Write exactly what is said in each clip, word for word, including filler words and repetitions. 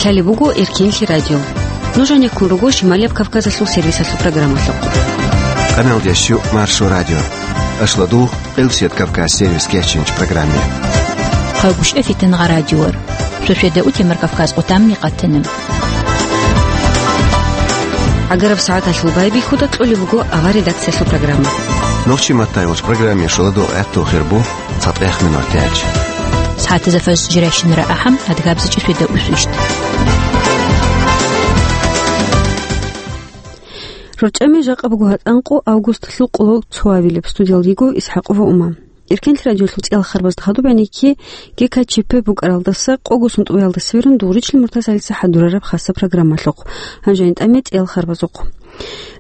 Лъалеб буго Эркенлъи радио. Нуж гьанеккун руго Шималияб Кавказалъул сервисалъул программалъухъ. Къаналдеш щу Маршо радио. Ашладугъ Къилсият Кавказ сервис кечинч программе. Хъагушев Фитангъа радиор. Шошеда утемар Кавказ къутамни къатана. Агараб сагӀаталъул байбихьуда кьолеб буго авар редакциялъул программа. Нохчи маттай вач программе шуладо гӀатту хирбу. ЦатӀех минутач. СагӀатазда фажр жирайщинара ахӀам, адгабзичӀи светда усвищт. РорчӀами жакъа буго гьатӀанкъо августалъул къоло цоабилеб. Студиялдиго ИсхӀакъова Ума. Эркенлъи радиолъул цӀиял харбазда хадуб гӀенекке ГКЧП букӀаралдаса къого сунтӀбаялдаса берун Дугъричил Муртазалица хӀадурараб хаса программалъухъ. Гьанже гьанитӀаме цӀиял харбазухъ.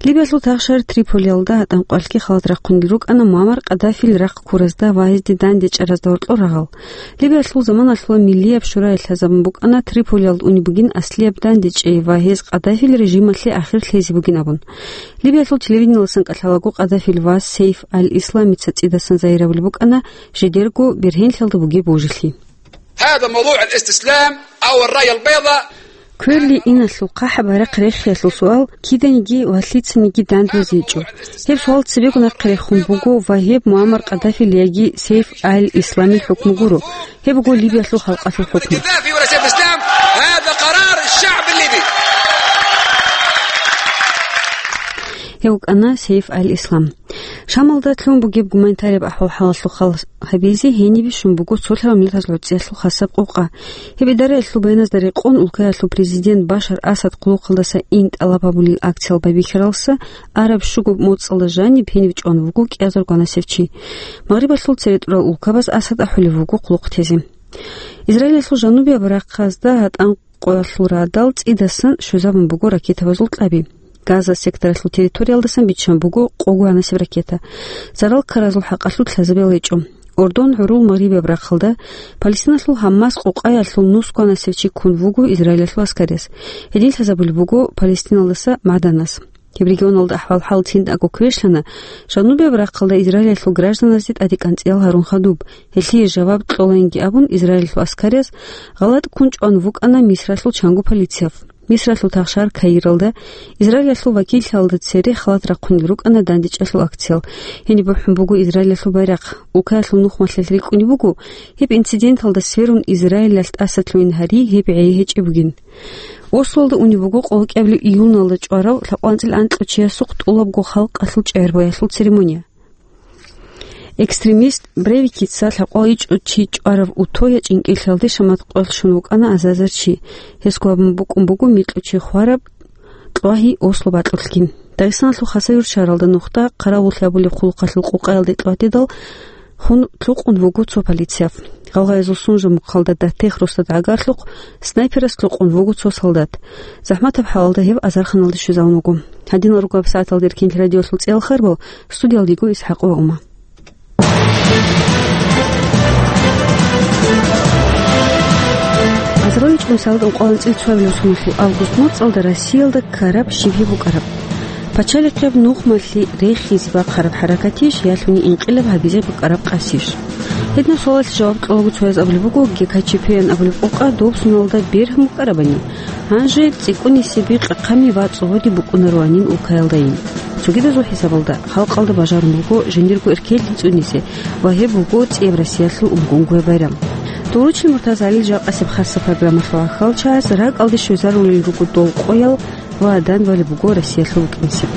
Либиялъул тахшар Триполиялда гьатӀан къвалъги халат рахъунел рукӀана Муаммар Къаддафил рахъ ккуразда ва гьезде дандечӀаразда гьоркьор рагъал. Либиялъул заманалъула Миллияб шуралъ лъазабун букӀана Триполиялда унеб бугин аслияб дандечӀей ва гьез Къаддафил режималъе ахир лъезе бугин абун. Либиялъул телевидениялдасан кӀалъалаго Къаддафил вас Сейф аль-Исламица цӀидасан загьирабулеб букӀана жидерго бергьенлъиялда бугеб божилъи. هذا موضوع الاستسلام أو الراية البيضاء. Кверли иналъул хъахӀаб байрахъ рехиялъул суал киданиги ва лъицаниги данде базичӀо. Гьеб суал цебего нахъе рехун буго ва гьеб Муаммар Къаддафил яги Сейф аль-Исламил хӀукму гуро. Гьеб буго Либиялъул халкъалъул хӀукму. قذافي ولا سيف الإسلام، هذا قرار الشعب الليبي. Гьев вукӀана Сейф аль-Ислам. Шамалда лъун бугеб гуманитарияб ахӀвал-хӀалалъул хал гьабизе гьениб бищун буго цолъараб миллатазул гӀуцӀиялъул хасаб къокъа. Гьеб идараялъул баяназда рекъон улкаялъул президент Башар Асад хъулухъалдаса ин тӀалаб гьабулел акциял байбихьаралса араб щуго моцӀалда жаниб гьениб чӀван вуго кӀиазар гванасев чи. Магърибалъул цере тӀурал улкабаз Асад ахӀулев вуго хъулухъ тезе. Израилалъул жанубияб рахъазда гьатӀан къоялъул радал цӀидасан щвезабун буго ракетабазул кьаби. Газа секторалъул территориялдасан биччан буго къого гьанасеб ракета. Зарал ккаразул хӀакъалъулъ лъазабиял гьечӀо. Ордон гӀурул Магърибияб рахъалда Палестиналъул Гьаммас къокъаялъул нусго гьанасев чи ккун вуго Израилалъул аскарияс. Гьедин лъазабулеб буго Палестиналдаса Маданас. Гьеб регионалда ахӀвал-хӀал циндаго квешлъана, жанубияб рахъалда Израилалъул гражданазде тӀаде кӀанцӀиял гьарун хадуб, гьелъие жаваб кьолаинги абун, Израилалъул аскарияс гъалатӀ ккун чӀван вукӀана Мисралъул чанго полицияб. Мисралъул тахшар Каиралда Израилалъул вакиллъиялда цере халат рахъунел рукӀана дандечӀалъул акциял. Гьениб бухӀун буго Израилалъул байрахъ. Улкаялъул нухмалъилъ рикӀкӀунеб буго, гьеб инциденталда сверун Израилалъ тӀаса лъугӀин гьари гьеб гӀей гьечӀеб бугин. Ослоялда унеб буго къолокӀабилеб июналда чӀварав лъабкъоялда анкьго чиясухъ тӀолабго халкъалъул чӀегӀербаялъул церемония. Экстремист Брейвикица лъабкъоялда ичӀго чи чӀварав Утоя чӀинкӀиллъалде шамат къоялъ щун вукӀана азарзар чи. Гьесго абун букӀун буго микьго чи хвараб кьвагьи Осло бакьулъгин. Дагъистаналъул Хасавюрт шагьаралда нухда хъаравуллъи гьабулеб хъулухъалъул къокъаялде кьватӀидал хун лъукъун вуго цо полицияб. Гъалгъаязул Сунжа мухъалда датех росдада гӀагарлъухъ снайперас лъукъун вуго цо солдат. ЗахӀматаб хӀалалда гьев азарханалде щвезавун вуго. Гьадинал руго гьаб сагӀаталда Эркенлъи радиолъул цӀиял харбал, студиялдиго ИсхӀакъова Ума. Азарилан чӀумсалда ункъоялда анцӀила цоабилеб соналъул август моцӀалда Россиялда ккараб щиб гьеб букӀараб? Пачалихъеб нухмалъи рехизе бахъараб хӀаракатищ, ялъуни инкъилаб гьабизе букӀараб къасищ? Гьединаб суалалъе жаваб кьолаго цояз абулеб буго, ГКЧП-ян абулеб къокъа доб соналда бергьун букӀарабани, гьанже цӀикӀкӀунисеби къахъами ва цӀогьоди букӀунароанин улкаялдайин. Цогидазул хӀисабалда, халкъалда бажарун буго жиндирго эркеллъи цӀунизе ва гьеб буго цӀияб Россиялъул умгунгуя байрам. Дугъручил Муртазалил жакъасеб хасаб программалъул гӀахьалчагӀаз ракӀалде щвезарулел руго дол къоял ва данде балеб буго Россиялъул букӀинсеб.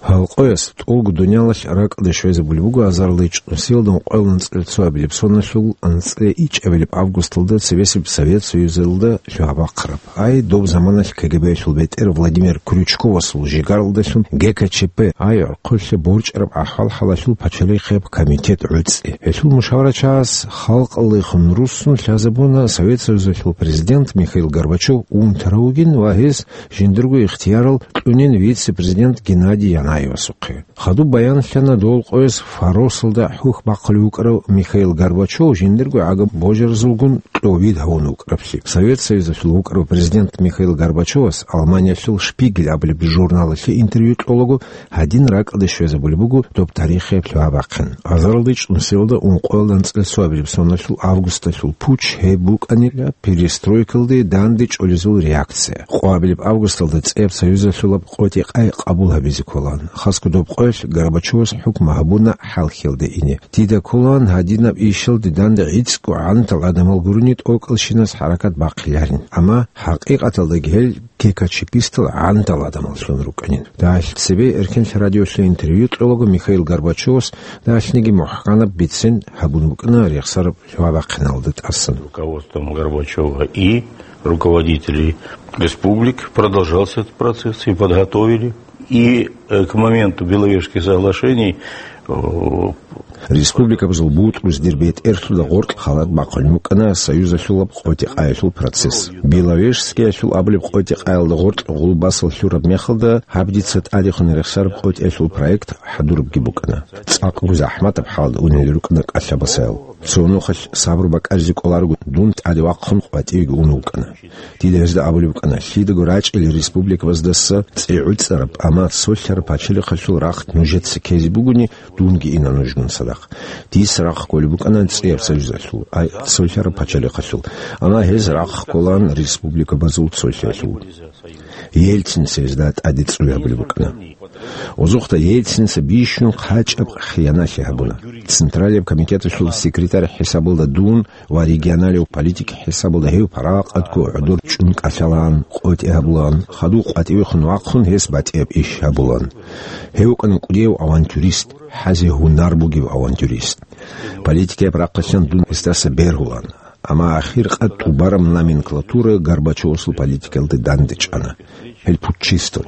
Гьал къояс тӀолго дуниялалъ ракӀалде щвезабулеб буго азарилан чӀумсалда ункъоялда анцӀила цоабилеб соналъул анцӀила ичӀабилеб августалда цебесеб Совет Союзалда лъугьа-бахъараб. Ай, доб заманалъ КГБ-ялъул бетӀер Владимир Крючковасул жигаралдалъун ГКЧП, ай, гӀорхъулъа борчӀараб ахӀвал-хӀалалъул пачалихъеб комитет гӀуцӀи. Гьелъул мушаварачагӀаз халкъалдехун руссун лъазабуна Совет Союзалъул президент Михаил Горбачев унтарав вугин ва гьес жиндирго ихтиярал кьунин вице-президент Геннадий Янаевас. Янаяевасухъе. Хадуб баянлъана дол къояс фаросалда хӀухь бахъулев вукӀарав Михаил Горбачев жиндирго гӀагаб божаразулгун кьовид гьавун вукӀараблъи. Совет Союзалъул вукӀарав президент Михаил Горбачевас Алманиялъул Шпигель абулеб журналалъе интервью кьолаго гьадин ракӀалде щвезабулеб буго доб тарихияб лъугьа-бахъин. Азаралде чӀунсиялда ункъоялда анцӀила цоабилеб соналъул августалъул пуч гьеб букӀанила перестройкалде данде чӀолезул реакция. Къоабилеб августалда цӀияб Союзалъулаб къотӀи-къай къабул гьабизе кколаан. Хасго доб къоялъ Горбачевас хӀукму гьабуна хӀалхьиялде ине. Дида кколаан гьадинаб ишалде данде гӀицӀго гӀантал гӀадамал гурони тӀокӀалщинас хӀаракат бахъиларин. Амма хӀакъикъаталдаги гьел ГКЧПистал гӀантал гӀадамаллъун рукӀанин. Дагьалъ цебе Эркенлъ радиолъе интервью кьолаго Михаил Горбачевас дагьалъниги мухӀканаб бицен гьабун букӀана рехсараб лъугьа-бахъиналда тӀасан. Руководством Горбачева и руководителей республик продолжался этот процесс, и подготовили. И, э, к моменту Беловежских соглашений, э, Республикабазул бутӀруз дир бетӀерлъуда гъоркь халат бахъун букӀана Союзалъулаб къотӀи-къаялъул процесс. Беловежскиялъул абулеб къотӀи-къаялда гъоркь гъулбасал лъураб мехалда гьаб дица тӀадехун рехсараб къотӀиялъул проект хӀадурабги букӀана. ЦӀакъго захӀматаб хӀалда унел рукӀана кӀалъабасаял. Цо нухалъ сабру бакӀаризе кӀоларого дун тӀаде вахъун къватӀивеги ун вукӀана. Дида гьезда абулеб букӀана, лъидаго рачӀел республикабаздаса цӀигӀуцӀараб, амма цолъараб пачалихъалъул рахъ нужеца ккезе бугони, дунги ина нужгун цадахъ. Дис рахъ кколеб букӀана цӀияб Союзалъул, ай, цолъараб пачалихъалъул, амма гьез рахъ кколаан республикабазул цолъиялъул. Ельцинца гьезда тӀаде цӀуй гьабулеб букӀана. Озухъда Ельцинца бищун хъачӀаб хиянатлъи гьабуна. Централияб комитеталъул секретарь хӀисабалда дун ва регионалияб политик хӀисабалда гьев паракъатго гӀодор чӀун кӀалъалаан, къотӀи гьабулаан, хадув къватӀивехун вахъун гьес батӀияб иш гьабулаан. Гьев вукӀана кӀудияв авантюрист, хӀазе гьунар бугев авантюрист. Политикаяб рахъалъан дун гьесдаса бергьулаан. Амма ахир къад тӀубараб номенклатура Горбачевасул политикаялде дандечӀана. Гьел путчистал.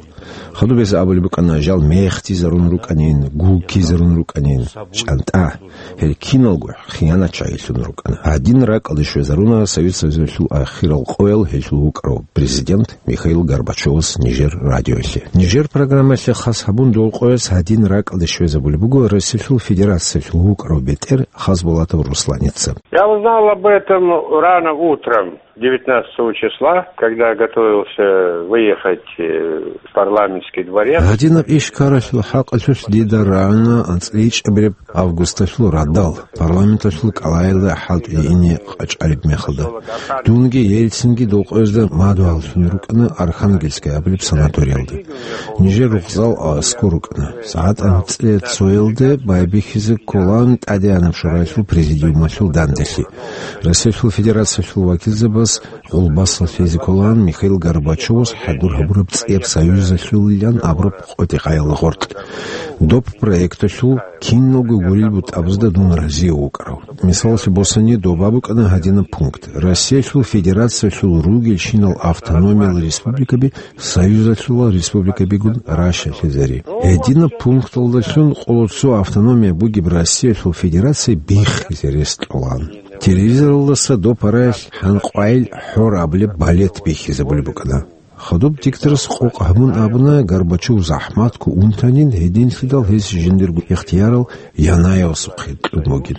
Хадуб гьез абулеб букӀана, жал мехтизарун рукӀанин, гуккизарун рукӀанин. ЧӀантӀа, гьел киналго хиянатчагӀилъун рукӀана. Гьадин ракӀалде щвезаруна Совет Союзалъул ахирал къоял гьелъул вукӀарав президент Михаил Горбачевас нижер радиоялъе. Нижер программаялъе хас гьабун дол къояс гьадин ракӀалде щвезабулеб буго Россиялъул Федерациялъул вукӀарав бетӀер Хасбулатов Русланица. Я узнал об этом рано утром девятнадцатого числа, когда готовился выехать, э, в парламентский дворец. Гьадинаб иш ккаралъул хӀакъалъулъ дида рагӀана анцӀила ичӀабилеб августалъул радал, парламенталъул кӀалаялда хӀалтӀи ине къачӀариб мехалда. Дунги Ельцинги дол къоязда мадугьаллъун рукӀана Архангельская абулеб санаториялда. Нижер рукъзал аскӀор рукӀана. СагӀат анцӀила цоялде байбихьизе кколаан ТӀадегӀанаб Шураялъул президиумалъул данделъи. Россиялъул Федерациялъул вакилзабаз гъулбасал лъезе кколаан Михаил Горбачевас хӀадур гьабураб цӀияб Союзалъулилан абураб къотӀи-къаял гъоркь. Доб проекталъул киналго гурил бутӀабазда дун разияв вукӀарав. Мисалалъе босани, доба букӀана гьадинаб пункт: Россиялъул Федерациялъул ругелщинал автономиял республикаби Союзалъула республикабигун ращалъизари. Гьединаб пункталдалъун къоло цо автономия бугеб Россиялъул Федерация биххизе рес кьолаан. Телевизоралдаса доб параялъ хӀанкъвайил хӀор абулеб балет бихьизабулеб букӀана. Хадуб дикторас къокъ гьабун абуна, Горбачев захӀматго унтанин, гьединлъидал гьес жиндирго ихтиярал Янаяевасухъе кьун бугин.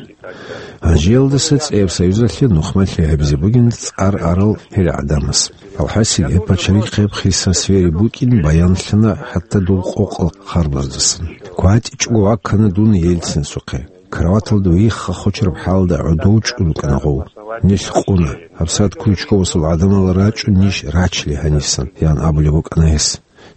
Гьанжеялдаса цӀияб Союзалъе нухмалъи гьабизе бугин цӀар арал гьел гӀадамас. Алхасил гьеб пачалихъ гьеб хиса сфери букӀин баянлъана хӀатта дол къокъал харбаздасан. КватӀичӀого ваккана дун Ельцинасухъе. Кроваталда вихха хочараб хӀалда гӀодов чӀун рукӀана гъов. Нилъ къуна. ГьабсагӀат Крючковасул гӀадамал рачӀун ниж рачли гьанисан, ян абулеб букӀана гьес.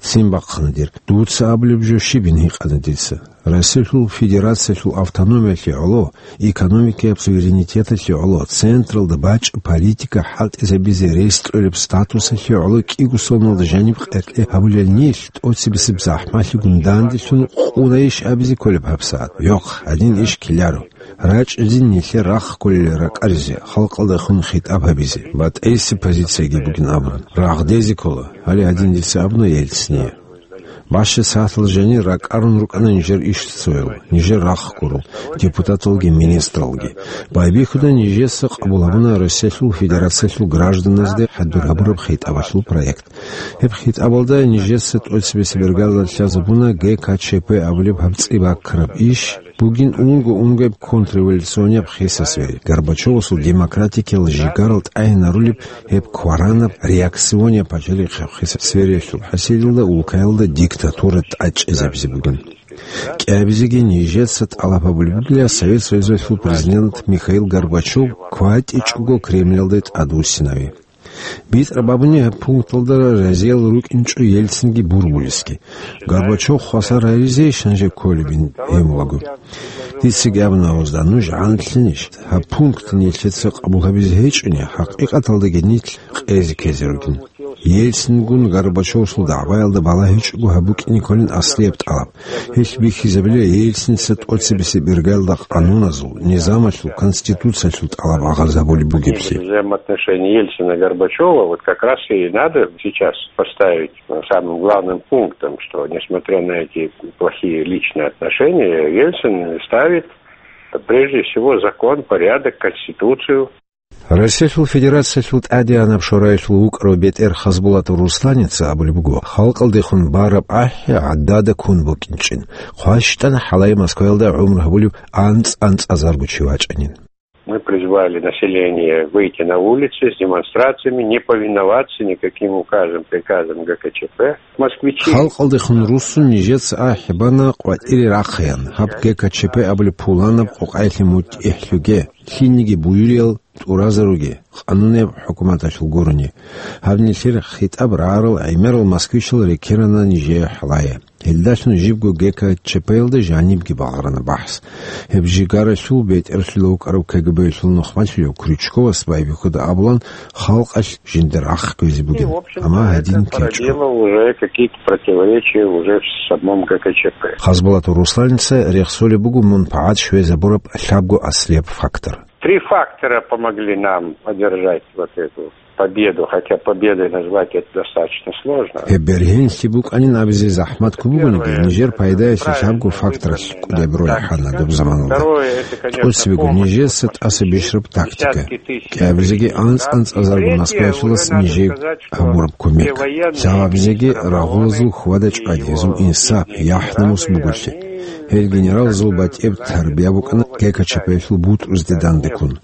Ццин бахъана дир. Дуца абулеб жо щибин гьикъана дица. Россиялъул Федерациялъул автономиялъе гӀоло, экономикаяб суверенитеталъе гӀоло, централда бачӀа политика хӀалтӀизабизе рес кьолеб статусалъе гӀоло кӀиго соналда жаниб къеркье гьабулел нилъ тӀоцебесеб захӀмалъигун данделъун къунайищ абизе кколеб гьабсагӀат? Йохъ, гьадин иш ккеларо. РачӀинзин нилъер рахъ кколел ракӀаризе, халкъалдехун хитӀаб гьабизе, батӀейси позицияги бугин абун, рагъдезе ккола, гьале гьадин дица абуна Ельцине. БащдасагӀатал жанир ракӀарун рукӀана нижер ишцоял, нижер рахъ гурал, депутаталги министралги. Байбихьуда нижеца къабул гьабуна Россиялъул Федерациялъул гражданазде хӀадур гьабураб хитӀабалъул проект. Гьеб хитӀабалда нижеца тӀоцебесеб иргалда лъазабуна Г К Ч П абулеб гьаб цӀи баккараб иш бугин унго-унгояб контрреволюционияб хиса свере, Горбачевасул демократикиял жигарал тӀагӀинарулеб гьеб кваранаб реакционияб пачалихъ хиса свериялъул хӀасилалда улкаялда диктатура тӀадчӀезабизе бугин. КӀиабизеги нижеца тӀалаб гьабулеб бугила Совет Союзалъул президент Михаил Горбачев кватӀичӀого Кремлалде тӀадвуссинави. БитӀараб абуни гьаб пункталда разиял рукӀинчӀо Ельцинги Бурбулисги. Горбачев хвасар гьаризейищ гьанже кколебин гьемулаго? Дицаги абуна гьезда, нуж гӀантлъинищ? Гьаб пункт нилъеца къабул гьабизе гьечӀони, хӀакъикъаталдаги нилъ къезе ккезе ругин. Ельцингун Горбачевасул дагӀбаялда балагьичӀого гьаб букӀине кколин аслияб тӀалаб. Гьелъ бихьизабила Ельцинца тӀоцебесеб иргалда къануназул, низамалъул, конституциялъул тӀалаб гӀагарлъи гьабулеб бугеблъи. Взаимоотношения Ельцина и Горбачева вот как раз и надо сейчас поставить самым главным пунктом, что, несмотря на эти плохие личные отношения, Ельцин ставит прежде всего закон, порядок, конституцию. Россиялъул Федерациялъул ТӀадегӀанаб Шораялъул вукӀарав бетӀер Хасбулатов Русланица абулеб буго, халкъалдехун бараб ахӀи гӀадада ккун букӀинчӀин. ХъващтӀан хӀалае Москваялда гӀумру гьабулев анцӀ-анцӀазарго чи вачӀанин. Мы призвали население выйти на улицы с демонстрациями, не повиноваться никаким указам, приказам Г К Ч П. Москвичи. Халкъалдехун руссун нижеца ахӀи бана къватӀире рахъеян, гьаб Г К Ч П абулеб пуланаб къокъаялъе мутӀигӀлъуге, лъилниги буюриял тӀуразаруге, къанунеб хӀукуматалъул гурони. Гьаб нилъер хитӀаб рагӀарал гӀемерал москвичал рекерана нижее хӀалае. Гьелдалъун жибго Г К Ч П-ялда жанибги балагьарана бахӀс. Гьеб жигаралъул бетӀерлъула вукӀарав К Г Б-ялъул нухмалъулев Крючковас байбихьуда абулан, халкъалъ жиндир рахъ кквезе бугин. Амма гьадин ккечӀо. Породило уже какие-то противоречия уже в самом Г К Ч П. Хасбулатов Русланица рехсолеб буго мун пагӀат щвезабураб лъабго аслияб фактор. Три фактора помогли нам одержать вот эту победу, хотя победой назвать это достаточно сложно. Гьеб бергьенлъи букӀанин абизе захӀмат ккун бугониги, нижер пайдаялъе лъабго факторалъ кӀудияб роль хӀана доб заманалда. ТӀоцебего нижеца тӀаса бищараб тактика. КӀиабизеги анцӀ-анцӀазарго Москваялъулас нижее гьабураб кумек. Лъабабизеги рагъулазул хьвада-чӀвади, гьезул инсап, яхӀ-намус буголъи. Гьел генералзул батӀияб тарбия букӀана Г К Ч П-ялъул бутӀрузде дандеккун.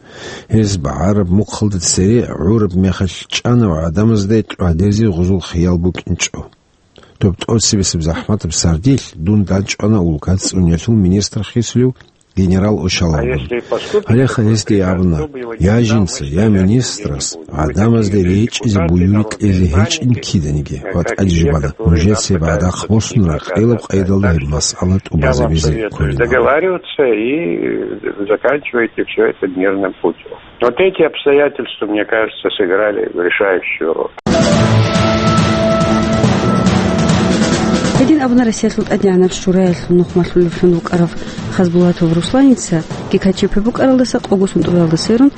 Гьез багӀараб мухъалда цере гӀураб мехалъ чӀана ва гӀадамазда тӀадезе гъузул хиял букӀинчӀо. Доб тӀоцебесеб захӀматаб сардилъ дун данчӀвана улкаца цӀунялъул министр хисулев генерал Ошаловгун. Гьалеха гьесде абуна: «Я жинца, я министрас гӀадамазда речӀчӀизе буюри кьезе гьечӀин киданиги ва тӀаде жубана, нужеца гьеб гӀадахъ босун ракъилаб къайдалда гьеб масъала тӀубазабизе кколин». Договариваться и заканчивайте все это мирным путем. Вот эти обстоятельства, мне кажется, сыграли решающую роль. Гьедин абуна Россиялъул ТӀадегӀанаб Шураялъул нухмалъулевлъун вукӀарав Хасбулатов Русланица Г К Ч П букӀаралдаса къого сунтӀуялда сверун,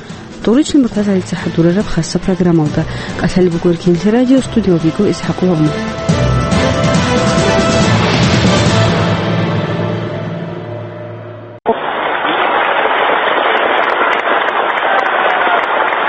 Доричный Муртазалица хӀадурараб хасса программалда. КӀалъалеб буго Эркинлъи радио, студиялда йиго ИсхӀакъ Лавму.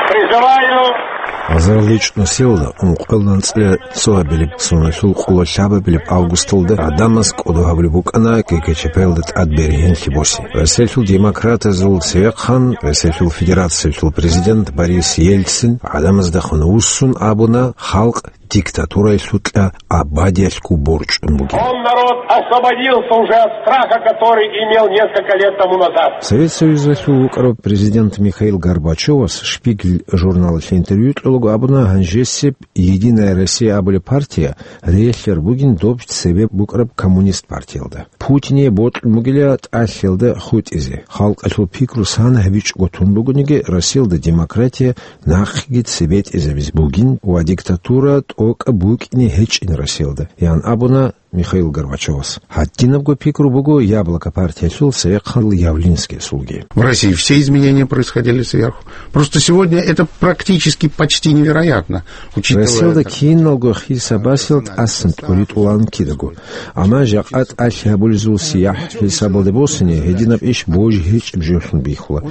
Призываю. Азарилчи нусилда ункъоялда анцӀила цо абилеб, соналъул къоло лъабабилеб августалда гӀадамаз кӀодо гьабулеб букӀана Г К Ч П-ялда тӀад бергьенлъи босе. Россиялъул демократиязул цевехъан Россиялъул Федерациялъул президент Борис Ельцин гӀадамаздехун вуссун абуна, халкъ диктатураялъукьа абадиялъго борчӀун бугеб. Он народ освободился уже от страха, который имел несколько лет тому назад. Совет Союзалъул вукӀарав президент Михаил Горбачевас Шпигель журналалъе интервью кьолаго абуна, гьанжесеб «Единая Россия» абулеб партия релълъараб бугин доб цебе букӀараб коммунист партиялда. Путине бокьун бугила тӀалъиялда хутӀизе. Халкъалъул пикру сан гьабичӀого тун бугониги, Россиялда демократия нахъеги цебетӀизабизе бугин ва диктатура тӀокӀаб букӀине гьечӀин Россиялда, ян абуна Михаил Горбачевас. Гьадинабго пикру буго Яблоко партиялъул цевехъан Явлинскиясулги. В России все изменения происходили сверху. Просто сегодня это практически почти невероятно, учитывая... Россиялда киналго хисабасел тӀасан тӀуритӀулан кидаго. Амма жакъа тӀалъи гьабулезул сияхӀ хӀисабалде босине, гьединаб иш божи гьечӀеб жолъун бихьула.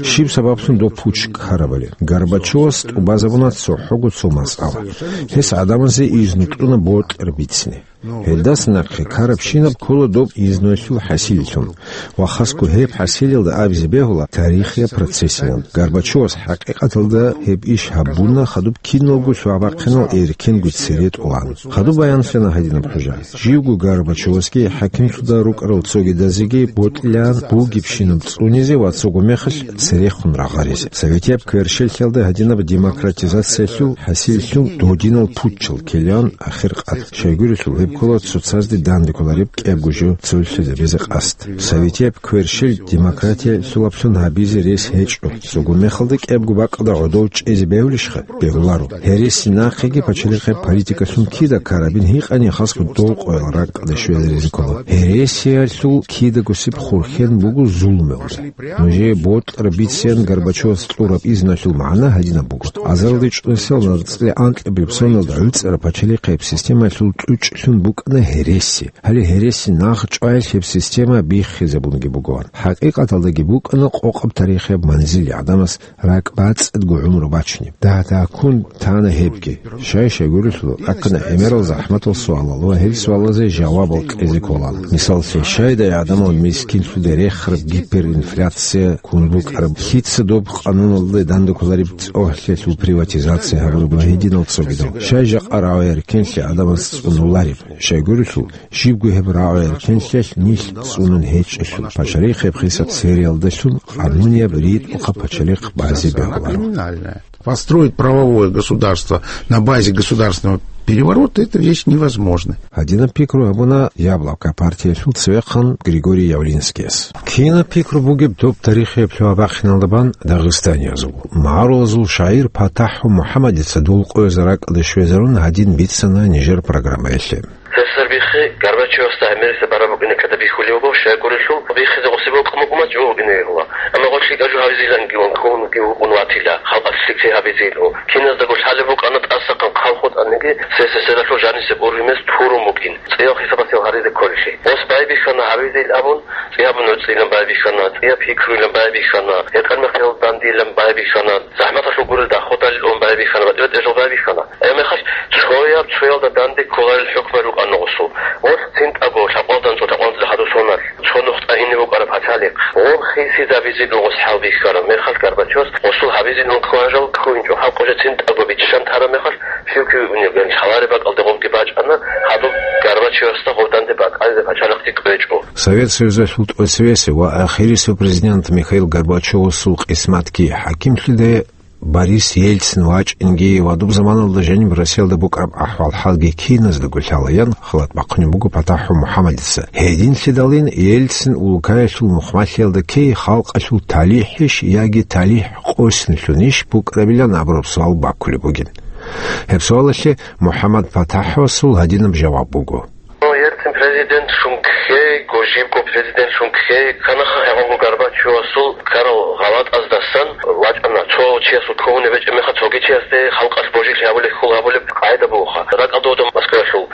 Щиб сабаблъун доб путч ккарабали? Горбачевас тӀубазабуна цохӀого цо масъала. Гьес гӀадамазе изну кьуна бокьар бицине. Гьелдаса нахъе ккарабщинаб ккола доб изнуялъул хӀасиллъун. Ва хасго гьеб хӀасилалда абизе бегьула тарихияб процессилан. Горбачевас хӀакъикъаталда гьеб иш гьабуна, хадуб киналго лъугьа-бахъинал эркенго цере тӀолан. Хадуб баянлъана гьадинаб хӀужа. Живго Горбачевасги хӀакимлъуда рукӀарал цогидазеги бокьилаан бугебщинаб цӀунизе ва цого мехалъ церехун рагъаризе. Советияб кверщеллъиялда гьадинаб демократизациялъул хӀасиллъун додинал путчал ккелаан ахир къад. Щайгурелъул гьеб ккола цоцазде данде кколареб кӀиябго жо цолъизабизе къасд. Советияб кверщел демократиялъулаблъун гьабизе рес гьечӀо. Цого мехалда кӀиябго бакӀалда гӀодов чӀезе бегьулищха? Бегьуларо. Гьереси нахъеги пачалихъе политикалъун кида ккарабин гьикъани хасго долкъоял ракӀалде щвезаризе ккола. Гьересиялъул кидагосеб хурхен буго зулумалда. Нужее бокьар бициан Горбачевас кьураб изналъул магӀна гьадинаб буго. Азарилде чӀудасел нацӀцӀалда анкьабилеб соналда гӀуцӀараб пачалихъияб системалъул кьучӀлъун букӀана гьереси. Гьале гьереси нахъ чӀваялъ гьеб система биххизабунги бугоан. ХӀакъикъаталдаги букӀана къокъаб тарихияб манзил гӀадамас ракӀбацӀцӀадго гӀумру бачунеб. Дагь-дагьккун тана гьебги. Щай-щай гурелъул, тӀаккана гӀемерал захӀматал суалал ва гьел суалазе жавабал кьезе кколан. Мисаллъе, щайдай гӀадамал мискинлъуде рехараб гиперинфляция ккун букӀараб? Лъица доб къануналде данде кколареб цӀогьлъиялъул приватизация гьабураб ва гьединал цогидал? Щай жакъа рагӀи-эркенлъи гӀадамаз цӀунулареб? Щай гурелъул, щибго гьеб рагӀи-эркенлъиялъ нилъ цӀунун гьечӀелъул, пачалихъ гьеб хисаб цереялдалъун къанунияб ритӀухъаб пачалихъ базе бегьуларо. Построить правовое государство на базе государственного переворота — это вещь невозможная. Гьадинаб пикру гьабуна Яблоко партиялъул цевехъан Григорий Явлинскияс. Кинаб пикру бугеб доб тарихияб лъугьа-бахъиналда бан дагъистаниязул? МагӀарулазул шагӀир ПатахӀу МухӀамадица дулкъояз ракӀалде щвезарун гьадин бицана нижер программаялъе. Сесер биххи, Горбачевасда гӀемерисеб бараб букӀине ккада бихьулев буго, щайгурелъул биххизе гъосиб бокьун букӀун бац жо вукӀине вугила. Амма гъолъ лъикӀаб жо гьабизиланги ван ккун вугев вукӀун ватила, халкъалъ лъикӀлъи гьабизил. Киназдаго лъалеб букӀана тӀасахъан хъал хутӀаниги, сесесералъул жанисеб ургьимез турун букӀин, цӀиял хисабасел гьаризе кколелъи. Гъос байбихьана гьабизил абун, цӀияб нуцӀилан байбихьана, цӀияб пикруйлан байбихьана, гьекъан-мехъерал дандилан байбихьана, захӀматалъул гурел дагьхъудалилан байбихьана, батӀи-батӀиял жал байбихьана. Гьебмехалъ цояб-цоялда данде кколарел хӀукму рукӀана гъосул. Гъос цинтӀаго лъабкъоялда анцӀго лъабкъоялда хадур соналъ, цо нухда ине букӀараб пачалихъ. Гъоб хисизабизилан гъос хӀалбихьараб мехалъ Горбачевас гьосул гьабизилан кколарел жал ккунчӀо, халкъ уже цинтӀаго биччан тараб мехалъ, щив-кив вугев лъалареб бакӀалде гъобги бачӀана, хадуб Горбачевасда гъоб данде бакӀалде пачалихъги кӀвечӀо. Совет Союзалъул тӀоцевесев ва ахирисев президент Михаил Горбачевасул къисматги хӀакимлъиде Борис Ельцин вачӀинги ва доб заманалда жаниб Россиялда букӀараб ахӀвал-хӀалги киназдаго лъалаян халат бахъунеб буго ПатахӀу МухӀаммадица. Гьединлъидалин Ельцин улкаялъул мухъмалъиялда ккей халкъалъул талихӀищ яги талихӀ къосинлъунищ букӀарабилан абураб суал баккулеб бугин. Гьеб суалалъе МухӀаммад ПатахӀвасул гьадинаб жаваб буго. Ельцин президентлъун ккейго, жибго президентлъун ккей, канаха гьагъабго Горбачевасул ккарал гъалатӀаздасан вачӀана, цо чиясул кколеб гьечӀеб мехалъ цоги чиясде халкъалъ божилъи гьабулеб, хьул гьабулеб къагӀида бугоха. РакӀалда Москваялъул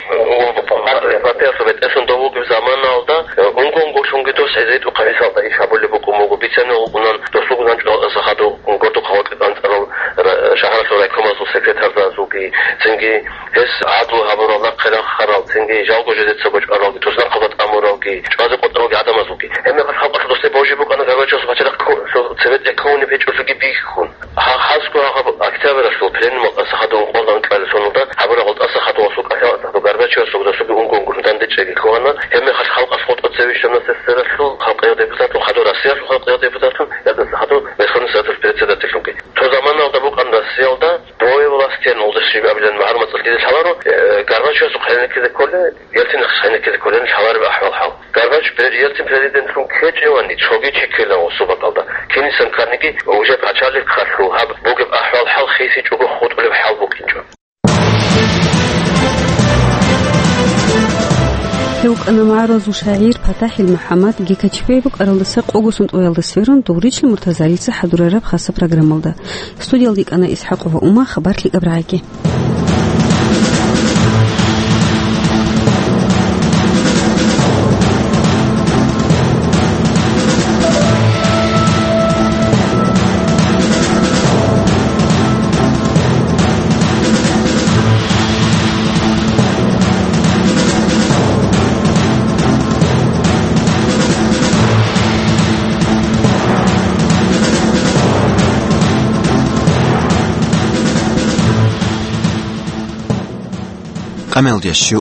партиялъул бетӀерлъун дов вугеб заманалда, унго-унголъунги дос гьезие тӀухъаб гьесалда иш гьабулеб букӀун буго, бицанил вукӀунан досулгун анцӀила хадув гордухъ гьавакьи анцӀарал ра-, шагьаралъул райкомазул секретарзазулги, цинги гьес гӀадлу гьабурал, нахъе рахарал, цинги жалго жидецаго чӀваралги, туснахъалда тӀамуралги, чӀвазе къотӀаралги гӀадамазулги. Гьебмехалъ халкъалъ досде божи букӀана Горбачевас пачалихъ кко-, цебетӀе ккунеб гьечӀолъиги бихьун. Гьа-, хасго гьаб октябралъул пленумалда тӀаса хадув ункъоялда анкьабилеб соналда гьабураб гъол тӀаса хадув гьасул кӀалъалда Горбачевасулги досулги унго-унгоялда данде чӀеги ккана. Гьебмехалъ халкъалъ хутӀа цеве щвана СССР-алъул халкъияб депутатлъун, хадув Россиялъул халкъияб депутатлъун, я тӀаса хадув Верховный Советалъул председательлъунги. Цо заманалда букӀана Россиялда двое властей, нолдаш жиб абилан магӀарул мацӀалъ дида лъаларо, э, Горбачевасухъ гьенеккизе кколей, Ельцинахъ гьенеккизе кколей лъалареб ахӀвал-хӀал. Горбач-, Ельцин президентлъун ккечӀевани, цоги чи ккела гъосул бакӀалда. Кинисан кканиги, уже пачалихъалъул гьаб бугеб ахӀвал-хӀал хисичӀого хутӀулеб хӀал букӀинчӀо. Гьев вукӀана магӀарулазул шагӀир ПатахӀил МухӀаммад, Гекачпей букӀаралдаса къого сунтӀуялда сверун, Дугъричил Муртазалица хӀадурараб хаса программалда. Студиялда йикӀана ИсхӀакъова Ума, хабар лъикӀаб рагӀаги. Къамелдеш